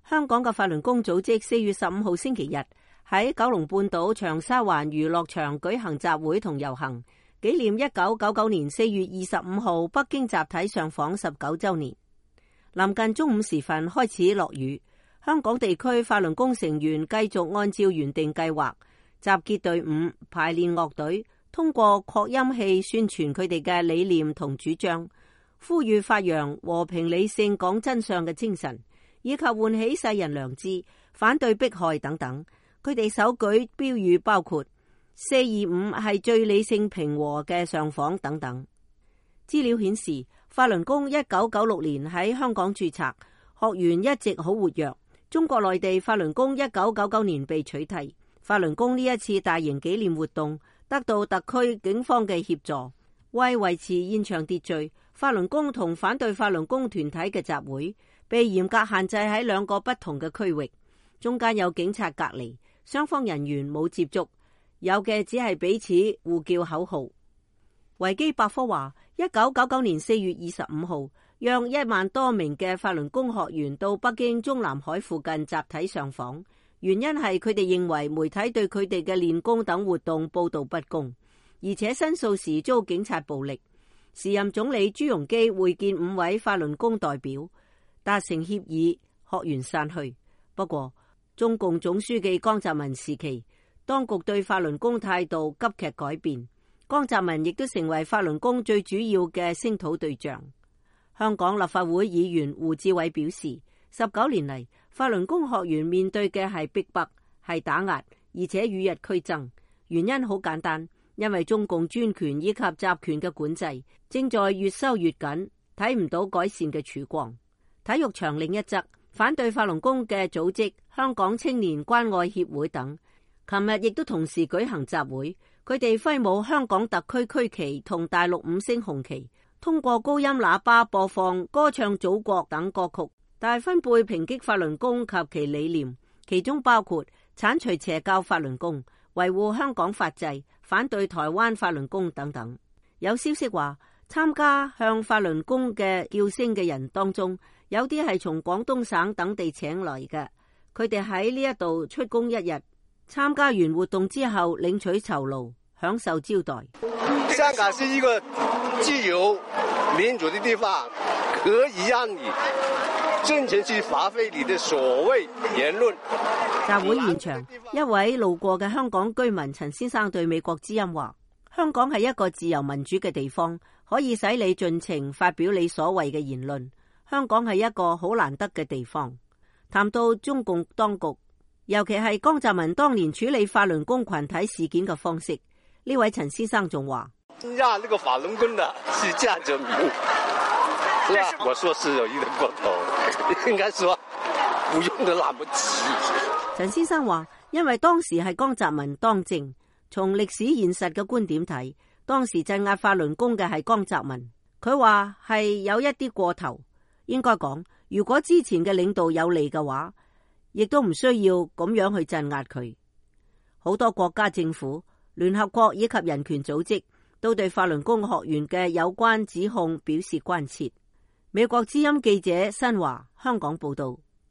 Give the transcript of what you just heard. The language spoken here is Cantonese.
香港嘅法輪功組織4月15號星期日喺九龍半島長沙灣娛樂場舉行集會同遊行，紀念1999年4月25號北京集體上訪19週年。臨近中午時分開始落雨，香港地區法輪功成員繼續按照原定計劃集結隊伍、排練樂隊，通過擴音器宣傳佢哋嘅理念同主張，呼籲發揚和平理性講真相嘅精神，以及喚起世人良知，反對迫害等等。佢哋手舉標語包括425係最理性平和嘅上訪等等。資料顯示，法輪功1996年喺香港註冊，學員一直好活躍。中國內地法輪功1999年被取締。法輪功呢一次大型紀念活動得到特區警方嘅協助，為維持現場秩序，法輪功同反對法輪功團體嘅集會被嚴格限制喺2個不同嘅區域，中間有警察隔離，雙方人員冇接觸，有嘅只係彼此互叫口號。維基百科話，1999年4月25號，讓1萬多名嘅法輪功學員到北京中南海附近集體上訪，原因係佢哋認為媒體對佢哋嘅練功等活動報道不公，而且申訴時遭警察暴力。時任總理朱鎔基會見5位法輪功代表，達成協議，學員散去。不過，中共總書記江澤民時期，當局對法輪功態度急劇改變，江澤民亦都成為法輪功最主要嘅聲討對象。香港立法會議員胡志偉表示，19年嚟，法輪功學員面對嘅係逼迫、係打壓，而且與日俱增。原因好簡單，因為中共專權以及集權嘅管制正在越收越緊，睇唔到改善嘅曙光。體育場另一側，反對法輪功嘅組織香港青年關愛協會等，琴日亦都同時舉行集會，佢哋揮舞香港特區區旗同大陸5星紅旗，通過高音喇叭播放歌唱祖國等歌曲，大分貝抨擊法輪功及其理念，其中包括剷除邪教法輪功、維護香港法制、反對台灣法輪功等等。有消息話，參加向法輪功嘅叫聲嘅人當中，有啲係從廣東省等地請來嘅，佢哋喺呢一度出工1日，參加完活動之後領取酬勞，享受招待。香港是一個自由民主的地方，可以讓你盡情去發揮你的所謂言論。集會現場，一位路過嘅香港居民陳先生對美國之音話，香港係一個自由民主嘅地方，可以使你盡情發表你所謂嘅言論。香港係一個好難得嘅地方。談到中共當局，尤其係江澤民當年處理法輪功群體事件嘅方式，呢位陳先生仲話：讓那個法輪功的是江澤民，是吧？我說是有一點過頭，應該說不用得那麼急。陳先生話，因為當時係江澤民當政，從歷史現實嘅觀點睇，當時鎮壓法輪功嘅係江澤民。佢話係有一啲過頭，應該講，如果之前嘅領導有利嘅話，亦都唔需要咁樣去鎮壓佢。好多國家政府、聯合國以及人權組織都對法輪功學員嘅有關指控表示關切。美國之音記者新華香港報道。